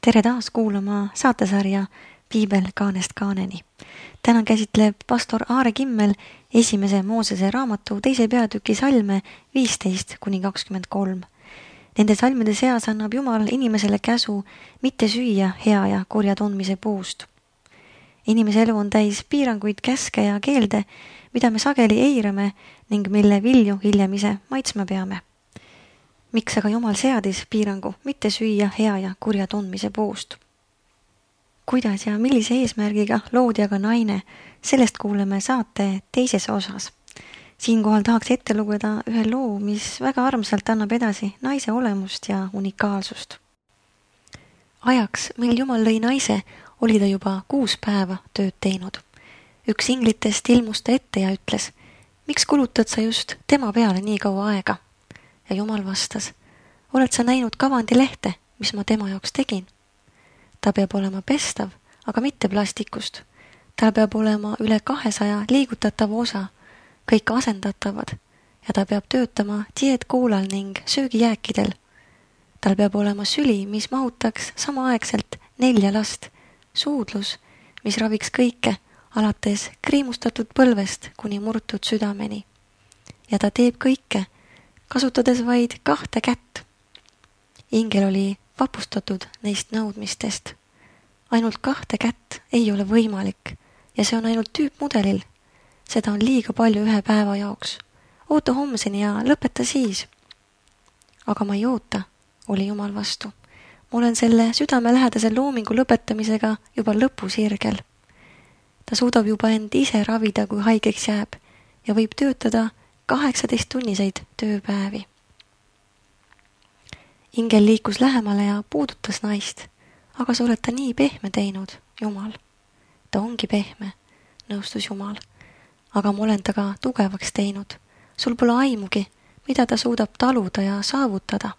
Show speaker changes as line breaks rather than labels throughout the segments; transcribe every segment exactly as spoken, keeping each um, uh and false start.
Tere taas kuulama saatesarja Piibel kaanest kaaneni. Täna käsitleb pastor Aare Kimmel esimese Moosese raamatu teise peatüki salme viisteist kuni kakskümmend kolm. Nende salmide seas annab Jumal inimesele käsu mitte süüa hea ja kurja tundmise puust. Inimese elu on täis piiranguid, käske ja keelde, mida me sageli eirame ning mille vilju hiljem ise maitsma peame. Miks aga Jumal seadis piirangu mitte süüa hea ja kurja tundmise puust? Kuidas ja millise eesmärgiga loodi aga naine, sellest kuuleme saate teises osas. Siinkohal tahaks ette lugeda ühe loo, mis väga armsalt annab edasi naise olemust ja unikaalsust. Ajaks, mil Jumal lõi naise, oli ta juba kuus päeva tööd teinud. Üks inglitest ilmus ta ette ja ütles, miks kulutad sa just tema peale nii kaua aega? Ja Jumal vastas, oled sa näinud kavandilehte, mis ma tema jaoks tegin? Ta peab olema pestav, aga mitte plastikust. Tal peab olema üle kahesaja liigutatav osa, kõik asendatavad, ja ta peab töötama dieetkoolal ning söögijääkidel. Tal peab olema süli, mis mahutaks samaaegselt nelja last, suudlus, mis raviks kõike, alates kriimustatud põlvest kuni murtud südameni. Ja ta teeb kõike, kasutades vaid kahte kätt. Ingel oli vapustatud neist nõudmistest. Ainult kahte kätt ei ole võimalik ja see on ainult tüüpmudelil. Seda on liiga palju ühe päeva jaoks. Oota homseni ja lõpeta siis. Aga ma ei oota, oli Jumal vastu. Ma olen selle südamelähedase loomingu lõpetamisega juba lõpusirgel. Ta suudab juba end ise ravida, kui haigeks jääb ja võib töötada kaheksateist tunniseid tööpäevi. Ingel liikus lähemale ja puudutas naist, aga sa oled ta nii pehme teinud, Jumal. Ta ongi pehme, nõustus Jumal, aga ma olen ta ka tugevaks teinud. Sul pole aimugi, mida ta suudab taluda ja saavutada.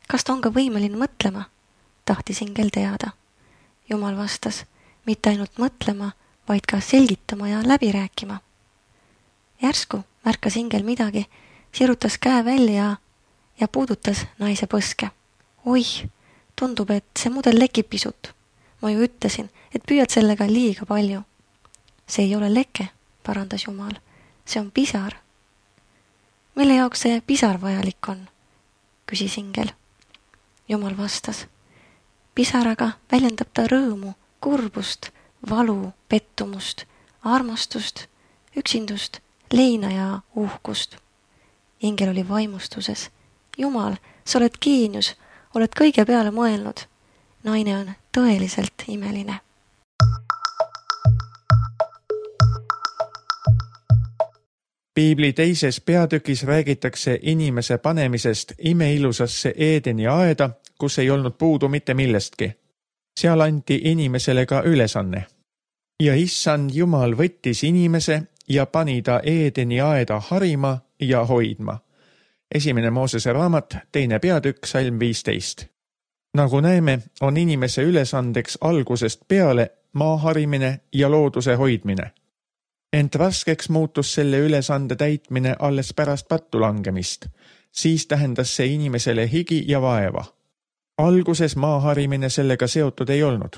Kas ta on ka võimeline mõtlema? Tahtis Ingel teada. Jumal vastas, mitte ainult mõtlema, vaid ka selgitama ja läbi rääkima. Järsku märkas Ingel midagi, sirutas käe välja ja puudutas naise põske. Oih, tundub, et see mudel lekib pisut. Ma ju ütlesin, et püüad sellega liiga palju. See ei ole leke, parandas Jumal. See on pisar. Mille jaoks see pisar vajalik on? Küsis Ingel. Jumal vastas. Pisaraga väljendab ta rõõmu, kurbust, valu, pettumust, armastust, üksindust, leina ja uhkust. Ingel oli vaimustuses. Jumal, sa oled geenius, oled kõige peale mõelnud. Naine on tõeliselt imeline.
Piibli teises peatükis räägitakse inimese panemisest imeilusasse Eedeni aeda, kus ei olnud puudu mitte millestki. Seal anti inimesele ka ülesanne. Ja issand Jumal võttis inimese ja pani ta Eedeni aeda harima ja hoidma. Esimene Moosese raamat, teine peatükk, salm viisteist. Nagu näeme, on inimese ülesandeks algusest peale maa harimine ja looduse hoidmine. Ent raskeks muutus selle ülesande täitmine alles pärast pattu langemist. Siis tähendas see inimesele higi ja vaeva. Alguses maa harimine sellega seotud ei olnud.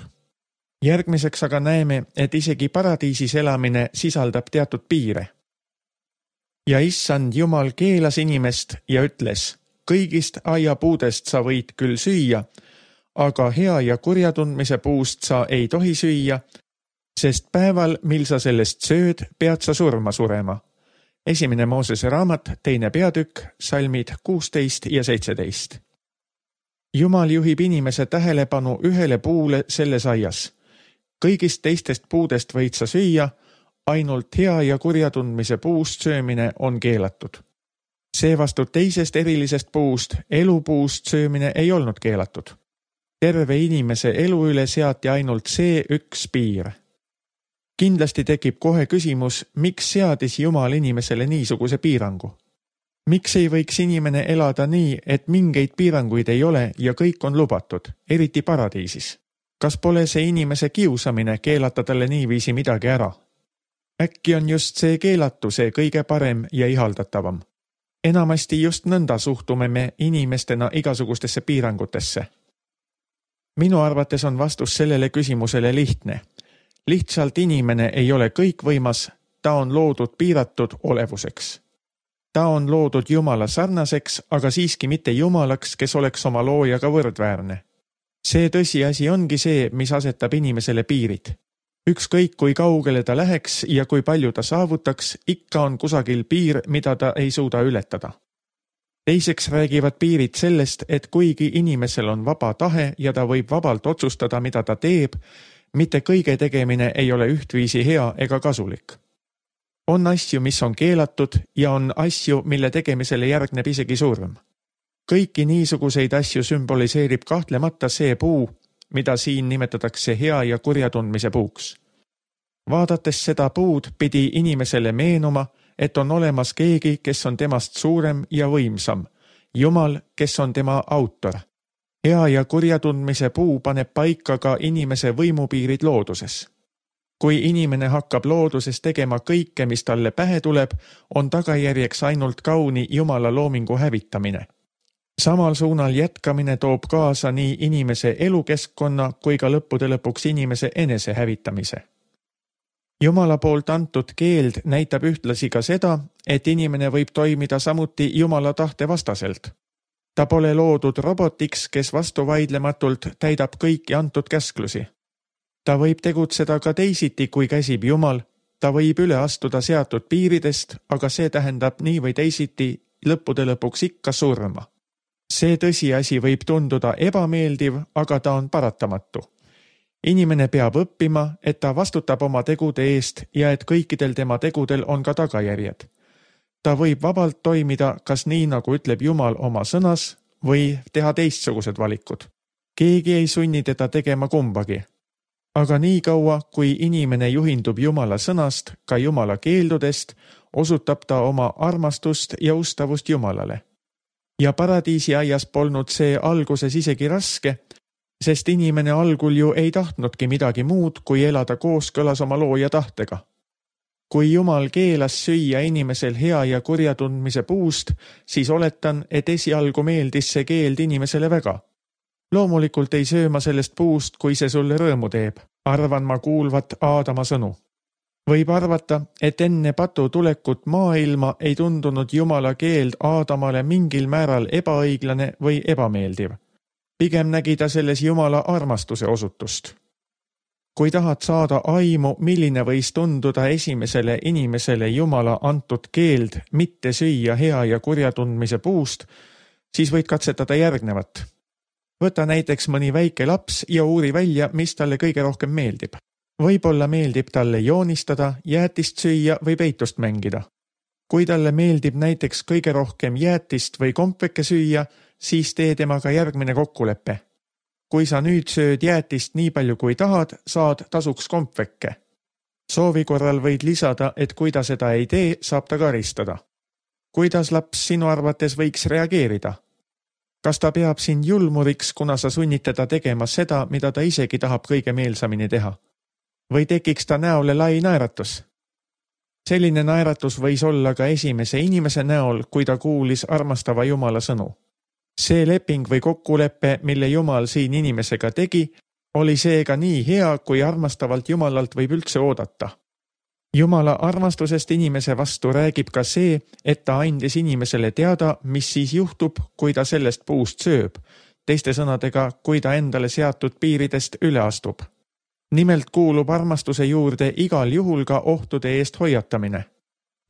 Järgmiseks aga näeme, et isegi paradiisis elamine sisaldab teatud piire. Ja issand Jumal keelas inimest ja ütles, kõigist aiapuudest sa võid küll süüa, aga hea ja kurja tundmise puust sa ei tohi süüa, sest päeval, mil sa sellest sööd, pead sa surma surema. Esimene Moosese raamat, teine peatükk, salmid kuusteist ja seitseteist. Jumal juhib inimese tähelepanu ühele puule selles aias. Kõigist teistest puudest võid sa süüa, ainult hea ja kurja tundmise puust söömine on keelatud. Seevastu teisest erilisest puust, elupuust söömine ei olnud keelatud. Terve inimese elu üle seati ainult see üks piir. Kindlasti tekib kohe küsimus, miks seadis Jumal inimesele niisuguse piirangu? Miks ei võiks inimene elada nii, et mingeid piiranguid ei ole ja kõik on lubatud, eriti paradiisis? Kas pole see inimese kiusamine keelata talle niiviisi midagi ära? Äkki on just see keelatu see kõige parem ja ihaldatavam. Enamasti just nõnda suhtume me inimestena igasugustesse piirangutesse. Minu arvates on vastus sellele küsimusele lihtne. Lihtsalt inimene ei ole kõikvõimas, ta on loodud piiratud olevuseks. Ta on loodud Jumala sarnaseks, aga siiski mitte Jumalaks, kes oleks oma loojaga võrdväärne. See tõsiasi ongi see, mis asetab inimesele piirid. Ükskõik kui kaugele ta läheks ja kui palju ta saavutaks, ikka on kusagil piir, mida ta ei suuda ületada. Teiseks räägivad piirid sellest, et kuigi inimesel on vaba tahe ja ta võib vabalt otsustada, mida ta teeb, mitte kõige tegemine ei ole ühtviisi hea ega kasulik. On asju, mis on keelatud ja on asju, mille tegemisele järgneb isegi surm. Kõiki niisuguseid asju sümboliseerib kahtlemata see puu, mida siin nimetatakse hea ja kurja tundmise puuks. Vaadates seda puud pidi inimesele meenuma, et on olemas keegi, kes on temast suurem ja võimsam, Jumal, kes on tema autor. Hea ja kurja tundmise puu paneb paika ka inimese võimupiirid looduses. Kui inimene hakkab looduses tegema kõike, mis talle pähe tuleb, on tagajärjeks ainult kauni Jumala loomingu hävitamine. Samal suunal jätkamine toob kaasa nii inimese elukeskkonna kui ka lõppude lõpuks inimese enese hävitamise. Jumala poolt antud keeld näitab ühtlasi ka seda, et inimene võib toimida samuti Jumala tahte vastaselt. Ta pole loodud robotiks, kes vastuvaidlematult täidab kõiki antud käsklusi. Ta võib tegutseda ka teisiti, kui käsib Jumal. Ta võib üle astuda seatud piiridest, aga see tähendab nii või teisiti lõppude lõpuks ikka surma. See tõsiasi võib tunduda ebameeldiv, aga ta on paratamatu. Inimene peab õppima, et ta vastutab oma tegude eest ja et kõikidel tema tegudel on ka tagajärjed. Ta võib vabalt toimida kas nii, nagu ütleb Jumal oma sõnas, või teha teistsugused valikud. Keegi ei sunni teda tegema kumbagi. Aga nii kaua, kui inimene juhindub Jumala sõnast, ka Jumala keeldudest, osutab ta oma armastust ja ustavust Jumalale. Ja paradiisi aias polnud see alguses isegi raske, sest inimene algul ju ei tahtnudki midagi muud, kui elada kooskõlas oma looja tahtega. Kui Jumal keelas süüa inimesel hea ja kurja tundmise puust, siis oletan, et esialgu meeldis see keeld inimesele väga. Loomulikult ei sööma sellest puust, kui see sulle rõõmu teeb. Arvan ma kuulvat Aadama sõnu. Võib arvata, et enne patu tulekut maailma ei tundunud Jumala keeld Aadamale mingil määral ebaõiglane või ebameeldiv. Pigem nägi ta selles Jumala armastuse osutust. Kui tahad saada aimu, milline võis tunduda esimesele inimesele Jumala antud keeld mitte süüa hea ja kurja tundmise puust, siis võid katsetada järgnevat. Võta näiteks mõni väike laps ja uuri välja, mis talle kõige rohkem meeldib. Võib-olla meeldib talle joonistada, jäätist süüa või peitust mängida. Kui talle meeldib näiteks kõige rohkem jäätist või kompveke süüa, siis tee temaga järgmine kokkulepe. Kui sa nüüd sööd jäätist nii palju kui tahad, saad tasuks kompvekke. Soovi korral võid lisada, et kui ta seda ei tee, saab ta karistada. Kuidas laps sinu arvates võiks reageerida? Kas ta peab sind julmuriks, kuna sa sunnid teda tegema seda, mida ta isegi tahab kõige meelsamini teha? Või tekiks ta näole lai naeratus? Selline naeratus võis olla ka esimese inimese näol, kui ta kuulis armastava Jumala sõnu. See leping või kokkulepe, mille Jumal siin inimesega tegi, oli seega nii hea, kui armastavalt Jumalalt võib üldse oodata. Jumala armastusest inimese vastu räägib ka see, et ta andis inimesele teada, mis siis juhtub, kui ta sellest puust sööb, teiste sõnadega, kui ta endale seatud piiridest üle astub. Nimelt kuulub armastuse juurde igal juhul ka ohtude eest hoiatamine.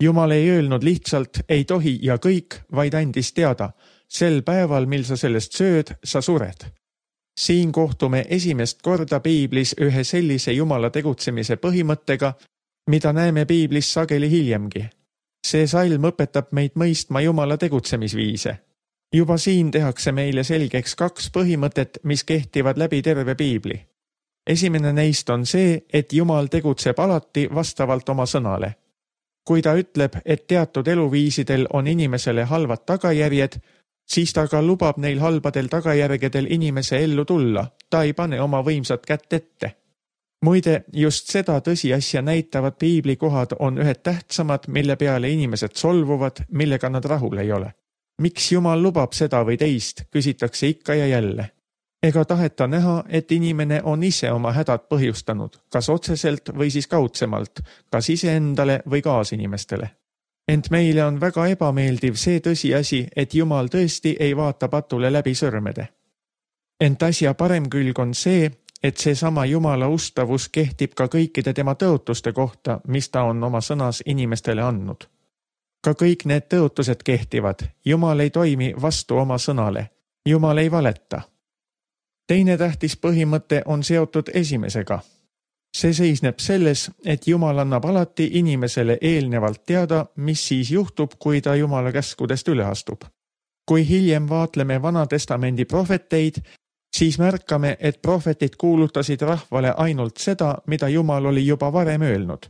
Jumal ei öelnud lihtsalt ei tohi ja kõik, vaid andis teada, sel päeval, mil sa sellest sööd, sa sured. Siin kohtume esimest korda Piiblis ühe sellise Jumala tegutsemise põhimõttega, mida näeme Piiblis sageli hiljemgi. See salm õpetab meid mõistma Jumala tegutsemisviise. Juba siin tehakse meile selgeks kaks põhimõtet, mis kehtivad läbi terve Piibli. Esimene neist on see, et Jumal tegutseb alati vastavalt oma sõnale. Kui ta ütleb, et teatud eluviisidel on inimesele halvad tagajärjed, siis ta ka lubab neil halbadel tagajärgedel inimese ellu tulla. Ta ei pane oma võimsat kätt ette. Muide, just seda tõsiasja näitavad piiblikohad on ühed tähtsamad, mille peale inimesed solvuvad, millega nad rahul ei ole. Miks Jumal lubab seda või teist, küsitakse ikka ja jälle. Ega taheta näha, et inimene on ise oma hädad põhjustanud, kas otseselt või siis kaudsemalt, kas iseendale või kaasinimestele. Ent meile on väga ebameeldiv see tõsiasi, et Jumal tõesti ei vaata patule läbi sõrmede. Ent asja parem külg on see, et seesama Jumala ustavus kehtib ka kõikide tema tõotuste kohta, mis ta on oma sõnas inimestele andnud. Ka kõik need tõotused kehtivad, Jumal ei toimi vastu oma sõnale, Jumal ei valeta. Teine tähtis põhimõte on seotud esimesega. See seisneb selles, et Jumal annab alati inimesele eelnevalt teada, mis siis juhtub, kui ta Jumala käskudest üle astub. Kui hiljem vaatleme Vana Testamendi prohveteid, siis märkame, et prohvetid kuulutasid rahvale ainult seda, mida Jumal oli juba varem öelnud.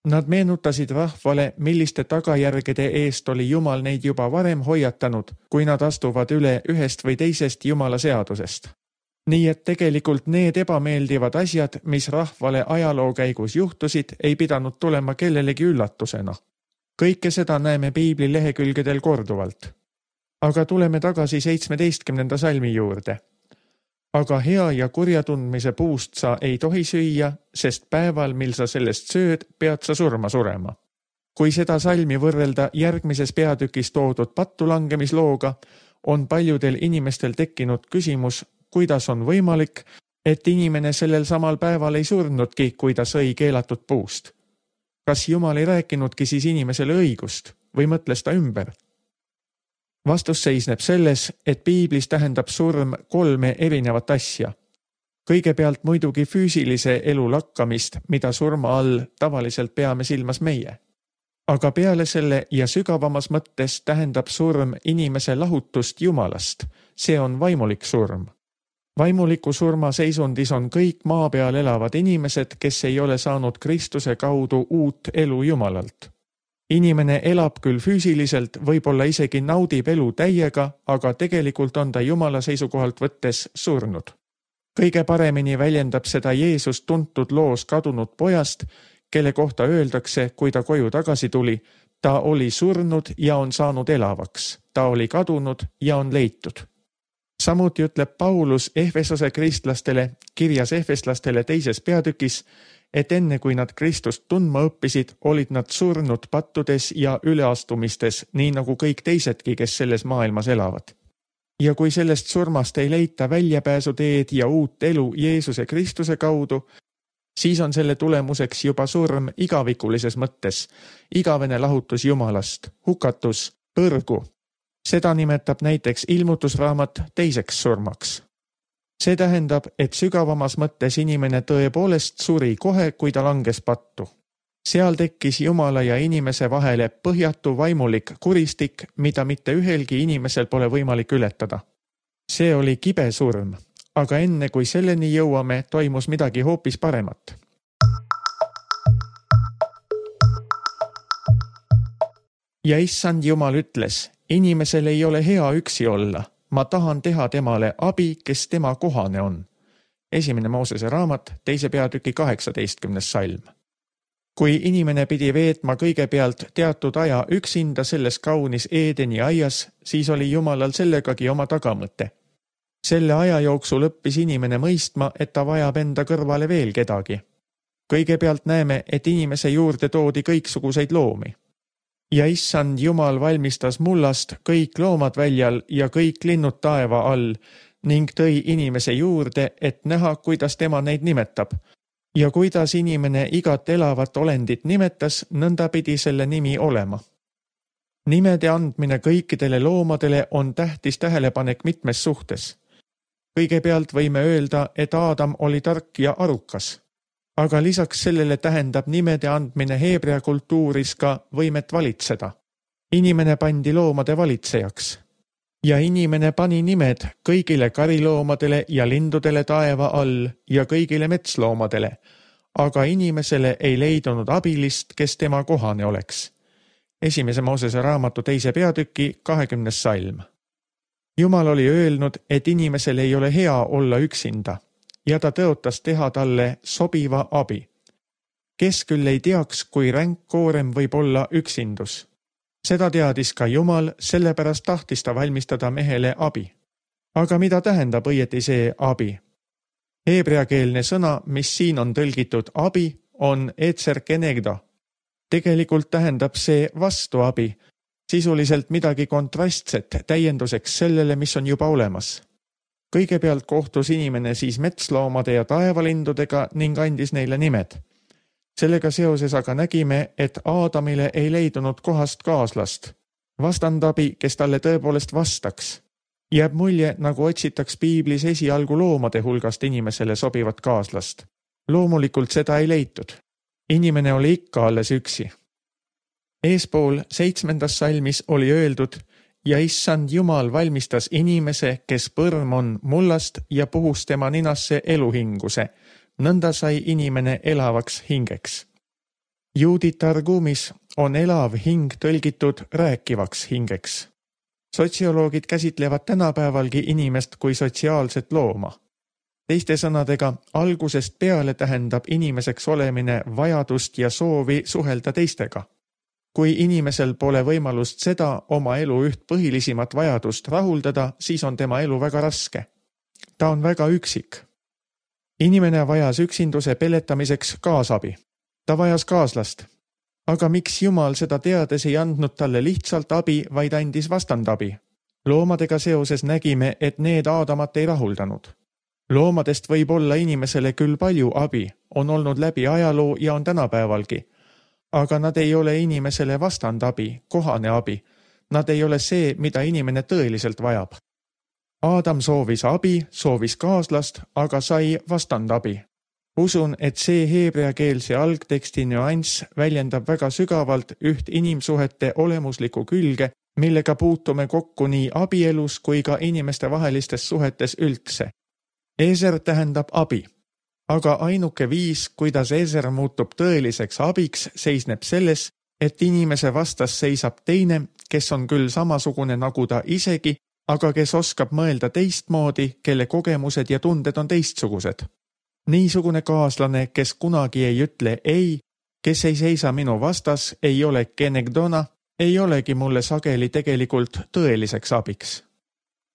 Nad meenutasid rahvale, milliste tagajärgede eest oli Jumal neid juba varem hoiatanud, kui nad astuvad üle ühest või teisest Jumala seadusest. Nii et tegelikult need ebameeldivad asjad, mis rahvale ajaloo käigus juhtusid, ei pidanud tulema kellelegi üllatusena. Kõike seda näeme Piibli lehekülgedel korduvalt. Aga tuleme tagasi seitsmeteistkümnenda salmi juurde. Aga hea ja kurja tundmise puust sa ei tohi süüa, sest päeval, mil sa sellest sööd, pead sa surma surema. Kui seda salmi võrrelda järgmises peatükis toodud pattulangemisloga, on paljudel inimestel tekkinud küsimus, kuidas on võimalik, et inimene sellel samal päeval ei surnudki, kui ta sõi keelatud puust. Kas Jumal ei rääkinudki siis inimesele õigust või mõtles ta ümber? Vastus seisneb selles, et Piiblis tähendab surm kolme erinevat asja. Kõigepealt muidugi füüsilise elu lakkamist, mida surma all tavaliselt peame silmas meie. Aga peale selle ja sügavamas mõttes tähendab surm inimese lahutust Jumalast. See on vaimulik surm. Vaimuliku surma seisundis on kõik maa peal elavad inimesed, kes ei ole saanud Kristuse kaudu uut elu Jumalalt. Inimene elab küll füüsiliselt, võib-olla isegi naudib elu täiega, aga tegelikult on ta Jumala seisukohalt võttes surnud. Kõige paremini väljendab seda Jeesus tuntud loos kadunud pojast, kelle kohta öeldakse, kui ta koju tagasi tuli, ta oli surnud ja on saanud elavaks, ta oli kadunud ja on leitud. Samuti ütleb Paulus Efesose kristlastele kirjas efeslastele teises peatükis, et enne kui nad Kristust tundma õppisid, olid nad surnud pattudes ja üleastumistes, nii nagu kõik teisedki, kes selles maailmas elavad. Ja kui sellest surmast ei leita väljapääsuteed ja uut elu Jeesuse Kristuse kaudu, siis on selle tulemuseks juba surm igavikulises mõttes, igavene lahutus Jumalast, hukatus, põrgu. Seda nimetab näiteks ilmutusraamat teiseks surmaks. See tähendab, et sügavamas mõttes inimene tõepoolest suri kohe, kui ta langes pattu. Seal tekkis Jumala ja inimese vahele põhjatu vaimulik kuristik, mida mitte ühelgi inimesel pole võimalik ületada. See oli kibe surm, aga enne kui selleni jõuame, toimus midagi hoopis paremat. Ja issand Jumal ütles, inimesel ei ole hea üksi olla. Ma tahan teha temale abi, kes tema kohane on. Esimene Moosese raamat, teise peatüki kaheksateistkümnes salm. Kui inimene pidi veetma kõigepealt teatud aja üksinda selles kaunis Eedeni aias, siis oli Jumalal sellegagi oma tagamõte. Selle aja jooksul õppis inimene mõistma, et ta vajab enda kõrvale veel kedagi. Kõigepealt näeme, et inimese juurde toodi kõiksuguseid loomi. Ja issand Jumal valmistas mullast kõik loomad väljal ja kõik linnud taeva all ning tõi inimese juurde, et näha, kuidas tema neid nimetab. Ja kuidas inimene igat elavat olendit nimetas, nõnda pidi selle nimi olema. Nimede andmine kõikidele loomadele on tähtis tähelepanek mitmes suhtes. Kõigepealt võime öelda, et Aadam oli tark ja arukas. Aga lisaks sellele tähendab nimede andmine heebrea kultuuris ka võimet valitseda. Inimene pandi loomade valitsejaks. Ja inimene pani nimed kõigile kariloomadele ja lindudele taeva all ja kõigile metsloomadele, aga inimesele ei leidunud abilist, kes tema kohane oleks. Esimese Moosese raamatu teise peatüki kahekümnes salm. Jumal oli öelnud, et inimesel ei ole hea olla üksinda. Ja ta tõotas teha talle sobiva abi. Kes küll ei teaks, kui ränk koorem võib olla üksindus. Seda teadis ka Jumal, sellepärast tahtis ta valmistada mehele abi. aga mida tähendab õieti see abi? Heebreakeelne sõna, mis siin on tõlgitud abi, on etser kenegdo. Tegelikult tähendab see vastuabi, sisuliselt midagi kontrastset täienduseks sellele, mis on juba olemas. Kõigepealt kohtus inimene siis metsloomade ja taevalindudega ning andis neile nimed. Sellega seoses aga nägime, et Aadamile ei leidunud kohast kaaslast, vastandabi, kes talle tõepoolest vastaks. Jääb mulje, nagu otsitaks piiblis esialgu loomade hulgast inimesele sobivat kaaslast. Loomulikult seda ei leitud. Inimene oli ikka alles üksi. Eespool seitsmendas salmis oli öeldud, ja issand Jumal valmistas inimese, kes põrm on mullast ja puhus tema ninasse eluhinguse. Nõnda sai inimene elavaks hingeks. Juudi targumis on elav hing tõlgitud rääkivaks hingeks. Sotsioloogid käsitlevad tänapäevalgi inimest kui sotsiaalset looma. Teiste sõnadega, algusest peale tähendab inimeseks olemine vajadust ja soovi suhelda teistega. Kui inimesel pole võimalust seda oma elu üht põhilisimat vajadust rahuldada, siis on tema elu väga raske. Ta on väga üksik. Inimene vajas üksinduse peletamiseks kaasabi. Ta vajas kaaslast. Aga miks Jumal seda teades ei andnud talle lihtsalt abi, vaid andis vastandabi? Loomadega seoses nägime, et need Aadamat ei rahuldanud. Loomadest võib olla inimesele küll palju abi, on olnud läbi ajaloo ja on tänapäevalgi. Aga nad ei ole inimesele vastandabi, kohane abi. Nad ei ole see, mida inimene tõeliselt vajab. Aadam soovis abi, soovis kaaslast, aga sai vastandabi. Usun, et see heebreakeelse algteksti nüanss väljendab väga sügavalt üht inimsuhete olemuslikku külge, millega puutume kokku nii abielus kui ka inimeste vahelistes suhetes üldse. Eser tähendab abi. Aga ainuke viis, kuidas eser muutub tõeliseks abiks, seisneb selles, et inimese vastas seisab teine, kes on küll samasugune nagu ta isegi, aga kes oskab mõelda teistmoodi, kelle kogemused ja tunded on teistsugused. Niisugune kaaslane, kes kunagi ei ütle ei, kes ei seisa minu vastas, ei ole kenegdona, ei olegi mulle sageli tegelikult tõeliseks abiks.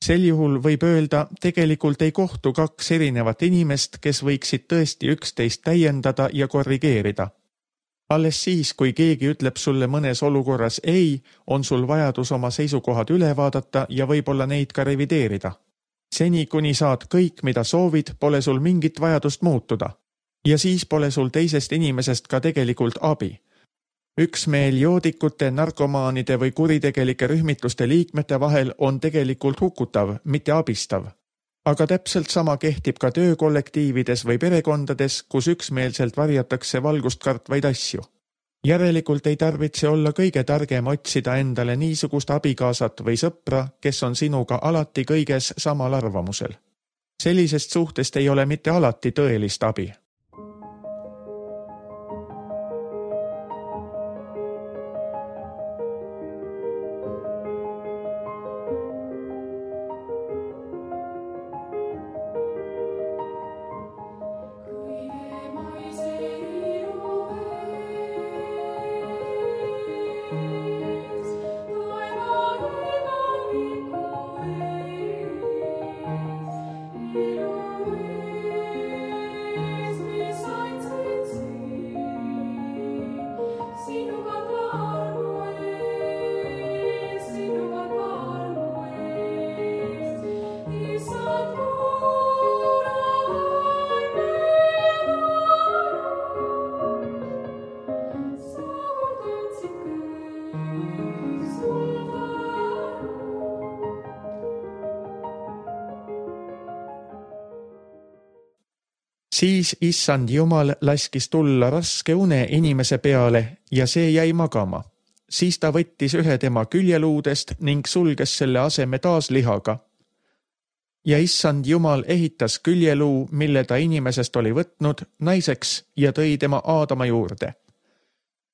Sel juhul võib öelda, tegelikult ei kohtu kaks erinevat inimest, kes võiksid tõesti üksteist täiendada ja korrigeerida. Alles siis, kui keegi ütleb sulle mõnes olukorras ei, on sul vajadus oma seisukohad üle vaadata ja võib-olla neid ka revideerida. Seni, kuni saad kõik, mida soovid, pole sul mingit vajadust muutuda. Ja siis pole sul teisest inimesest ka tegelikult abi. Üksmeel joodikute, narkomaanide või kuritegelike rühmituste liikmete vahel on tegelikult hukutav, mitte abistav. Aga täpselt sama kehtib ka töökollektiivides või perekondades, kus üksmeelselt varjatakse valgust kartvaid asju. Järelikult ei tarvitse olla kõige targem otsida endale niisugust abikaasat või sõpra, kes on sinuga alati kõiges samal arvamusel. Sellisest suhtest ei ole mitte alati tõelist abi. Siis issand Jumal laskis tulla raske une inimese peale ja see jäi magama. Siis ta võttis ühe tema küljeluudest ning sulges selle aseme taas lihaga. Ja issand Jumal ehitas küljeluu, mille ta inimesest oli võtnud, naiseks ja tõi tema Aadama juurde.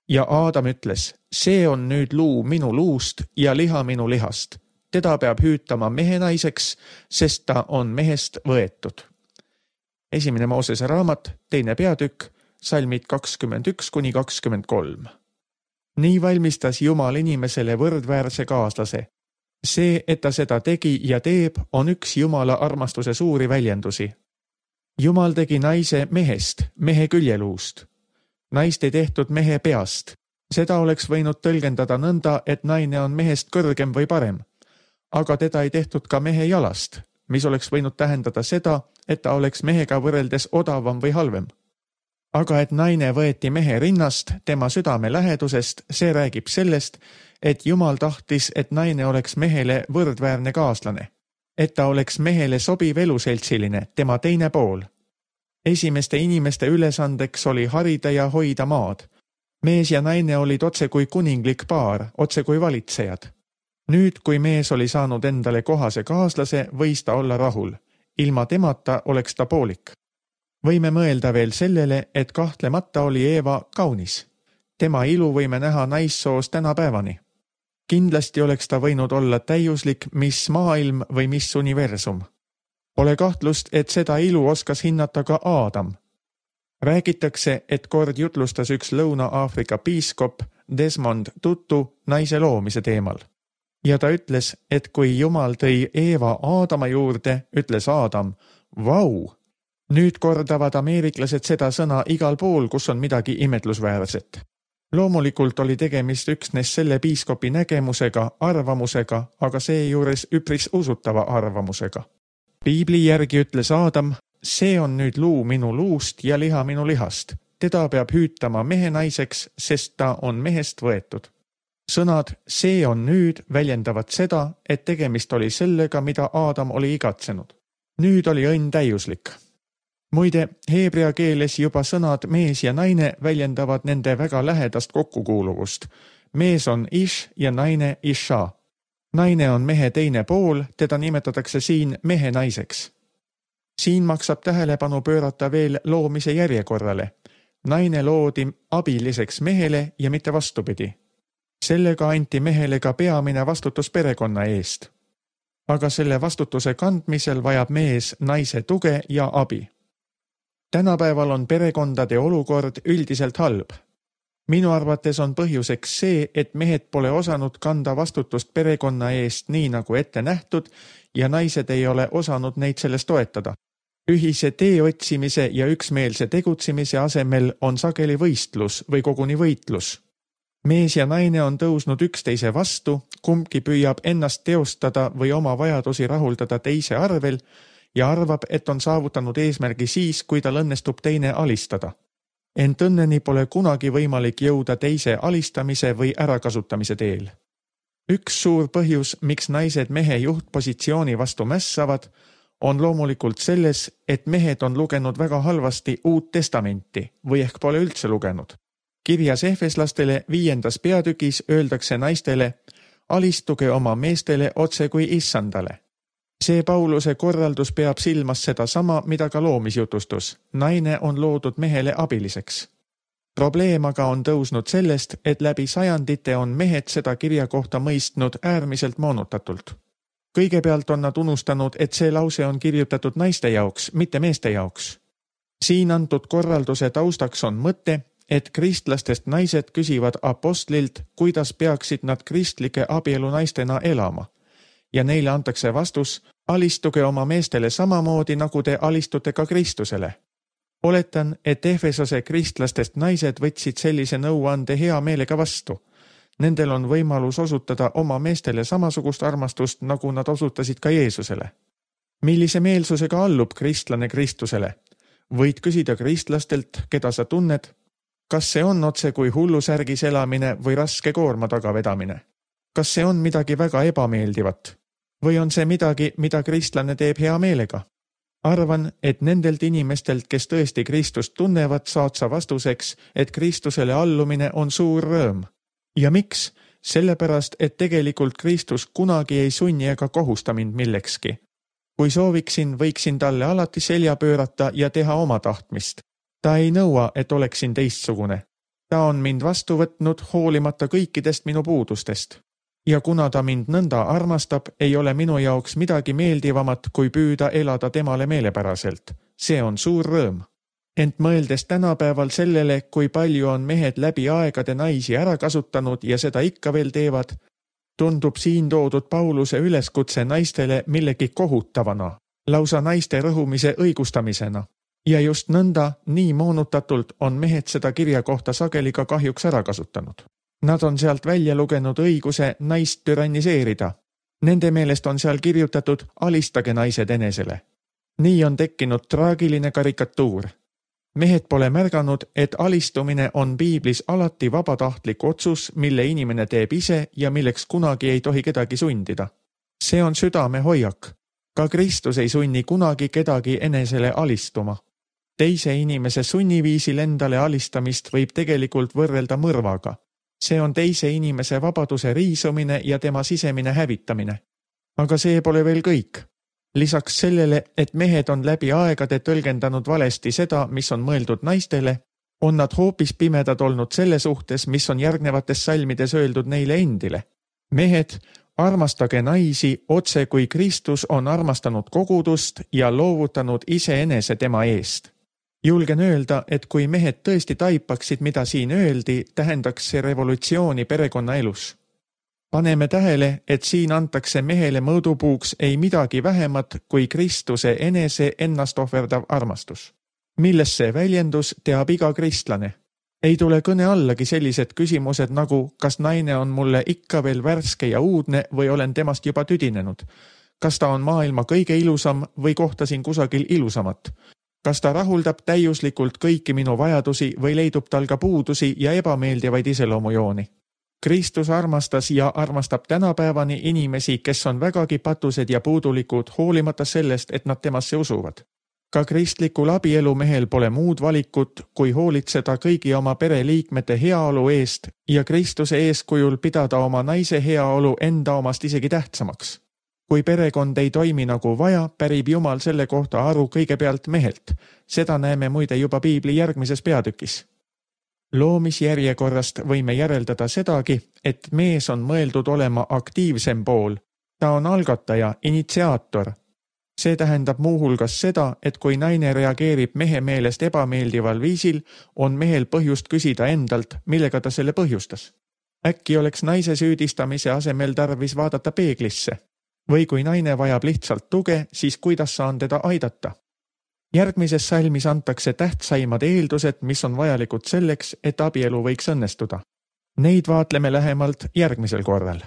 Ja Aadam ütles, see on nüüd luu minu luust ja liha minu lihast. Teda peab hüütama mehe naiseks, sest ta on mehest võetud. Esimene Moosese raamat, teine peatükk, salmid kakskümmend üks kuni kakskümmend kolm. Nii valmistas Jumal inimesele võrdväärse kaaslase. See, et ta seda tegi ja teeb, on üks Jumala armastuse suuri väljendusi. Jumal tegi naise mehest, mehe küljeluust. Naist ei tehtud mehe peast. Seda oleks võinud tõlgendada nõnda, et naine on mehest kõrgem või parem. Aga teda ei tehtud ka mehe jalast, mis oleks võinud tähendada seda, et ta oleks mehega võrreldes odavam või halvem. Aga et naine võeti mehe rinnast, tema südame lähedusest, see räägib sellest, et Jumal tahtis, et naine oleks mehele võrdväärne kaaslane. Et ta oleks mehele sobiv eluseltsiline, tema teine pool. Esimeste inimeste ülesandeks oli harida ja hoida maad. Mees ja naine olid otse kui kuninglik paar, otse kui valitsejad. Nüüd, kui mees oli saanud endale kohase kaaslase, võis ta olla rahul. Ilma temata oleks ta poolik. Võime mõelda veel sellele, et kahtlemata oli Eeva kaunis. Tema ilu võime näha naissoos tänapäevani. Kindlasti oleks ta võinud olla täiuslik mis maailm või mis universum. Pole kahtlust, et seda ilu oskas hinnata ka Aadam. Räägitakse, et kord jutlustas üks Lõuna-Aafrika piiskop Desmond Tutu naise loomise teemal. Ja ta ütles, et kui Jumal tõi Eeva Aadama juurde, ütles Aadam, vau! Nüüd kordavad ameeriklased seda sõna igal pool, kus on midagi imetlusväärset. Loomulikult oli tegemist üksnes selle piiskopi nägemusega, arvamusega, aga seejuures üpris usutava arvamusega. Piibli järgi ütles Aadam, see on nüüd luu minu luust ja liha minu lihast. Teda peab hüütama mehe naiseks, sest ta on mehest võetud. Sõnad see on nüüd väljendavad seda, et tegemist oli sellega, mida Aadam oli igatsenud. Nüüd oli õnn täiuslik. Muide, heebrea keeles juba sõnad mees ja naine väljendavad nende väga lähedast kokkukuuluvust. Mees on ish ja naine isha. Naine on mehe teine pool, teda nimetatakse siin mehe naiseks. Siin maksab tähelepanu pöörata veel loomise järjekorrale. Naine loodi abiliseks mehele ja mitte vastupidi. Sellega anti mehele ka peamine vastutus perekonna eest. Aga selle vastutuse kandmisel vajab mees naise tuge ja abi. Tänapäeval on perekondade olukord üldiselt halb. Minu arvates on põhjuseks see, et mehed pole osanud kanda vastutust perekonna eest nii nagu ette nähtud ja naised ei ole osanud neid selles toetada. Ühise tee otsimise ja üksmeelse tegutsemise asemel on sageli võistlus või koguni võitlus. Mees ja naine on tõusnud üksteise vastu, kumbki püüab ennast teostada või oma vajadusi rahuldada teise arvel ja arvab, et on saavutanud eesmärgi siis, kui tal õnnestub teine alistada. Ent õnneni pole kunagi võimalik jõuda teise alistamise või ärakasutamise teel. Üks suur põhjus, miks naised mehe juhtpositsiooni vastu mässavad, on loomulikult selles, et mehed on lugenud väga halvasti Uut Testamenti või ehk pole üldse lugenud. Kirjas Efeslastele viiendas peatükis öeldakse naistele, alistuge oma meestele otse kui issandale. See Pauluse korraldus peab silmas seda sama, mida ka loomisjutustus. Naine on loodud mehele abiliseks. Probleem aga on tõusnud sellest, et läbi sajandite on mehed seda kirja kohta mõistnud äärmiselt moonutatult. Kõigepealt on nad unustanud, et see lause on kirjutatud naiste jaoks, mitte meeste jaoks. Siin antud korralduse taustaks on mõte, et kristlastest naised küsivad apostlilt, kuidas peaksid nad kristlike abielu naistena elama. Ja neile antakse vastus, alistuge oma meestele samamoodi, nagu te alistute ka Kristusele. Oletan, et Efesose kristlastest naised võtsid sellise nõuande hea meelega vastu. Nendel on võimalus osutada oma meestele samasugust armastust, nagu nad osutasid ka Jeesusele. Millise meelsusega allub kristlane Kristusele? Võid küsida kristlastelt, keda sa tunned, kas see on otse kui hullusärgis elamine või raske koorma tagavedamine? Kas see on midagi väga ebameeldivat? Või on see midagi, mida kristlane teeb hea meelega? Arvan, et nendelt inimestelt, kes tõesti Kristust tunnevad, saad sa vastuseks, et Kristusele allumine on suur rõõm. Ja miks? Sellepärast, et tegelikult Kristus kunagi ei sunni ega kohusta mind millekski. Kui sooviksin, võiksin talle alati selja pöörata ja teha oma tahtmist. Ta ei nõua, et oleksin teistsugune. Ta on mind vastu võtnud hoolimata kõikidest minu puudustest. Ja kuna ta mind nõnda armastab, ei ole minu jaoks midagi meeldivamat, kui püüda elada temale meelepäraselt. See on suur rõõm. Ent mõeldes tänapäeval sellele, kui palju on mehed läbi aegade naisi ära kasutanud ja seda ikka veel teevad, tundub siin toodud Pauluse üleskutse naistele millegi kohutavana, lausa naiste rõhumise õigustamisena. Ja just nõnda, nii moonutatult on mehed seda kirja kohta sageli ka kahjuks ära kasutanud. Nad on sealt välja lugenud õiguse naist türanniseerida. Nende meelest on seal kirjutatud alistage naised enesele. Nii on tekkinud traagiline karikatuur. Mehed pole märganud, et alistumine on piiblis alati vabatahtlik otsus, mille inimene teeb ise ja milleks kunagi ei tohi kedagi sundida. See on südame hoiak. Ka Kristus ei sunni kunagi kedagi enesele alistuma. Teise inimese sunniviisil endale alistamist võib tegelikult võrrelda mõrvaga. See on teise inimese vabaduse riisumine ja tema sisemine hävitamine. Aga see pole veel kõik. Lisaks sellele, et mehed on läbi aegade tõlgendanud valesti seda, mis on mõeldud naistele, on nad hoopis pimedad olnud selle suhtes, mis on järgnevates salmides öeldud neile endile. Mehed, armastage naisi otse kui Kristus on armastanud kogudust ja loovutanud iseenese tema eest. Julgen öelda, et kui mehed tõesti taipaksid, mida siin öeldi, tähendaks see revolutsiooni perekonna elus. Paneme tähele, et siin antakse mehele mõõdupuuks ei midagi vähemat kui Kristuse enese ennast ohverdav armastus. Milles see väljendus teab iga kristlane. Ei tule kõne allagi sellised küsimused nagu, kas naine on mulle ikka veel värske ja uudne või olen temast juba tüdinenud. Kas ta on maailma kõige ilusam või kohtasin kusagil ilusamat? Kas ta rahuldab täiuslikult kõiki minu vajadusi või leidub tal ka puudusi ja ebameeldivaid iseloomujooni? Kristus armastas ja armastab tänapäevani inimesi, kes on vägagi patused ja puudulikud, hoolimata sellest, et nad temasse usuvad. Ka kristlikul abielumehel pole muud valikut, kui hoolitseda kõigi oma pereliikmete heaolu eest ja Kristuse eeskujul pidada oma naise heaolu enda omast isegi tähtsamaks. Kui perekond ei toimi nagu vaja, pärib Jumal selle kohta aru kõigepealt mehelt. Seda näeme muide juba piibli järgmises peatükis. Loomisjärjekorrast võime järeldada sedagi, et mees on mõeldud olema aktiivsem pool. Ta on algataja, initsiaator. See tähendab muuhulgas seda, et kui naine reageerib mehe meelest ebameeldival viisil, on mehel põhjust küsida endalt, millega ta selle põhjustas. Äkki oleks naise süüdistamise asemel tarvis vaadata peeglisse. Või kui naine vajab lihtsalt tuge, siis kuidas saan teda aidata? Järgmises salmis antakse tähtsaimad eeldused, mis on vajalikud selleks, et abielu võiks õnnestuda. Neid vaatleme lähemalt järgmisel korral.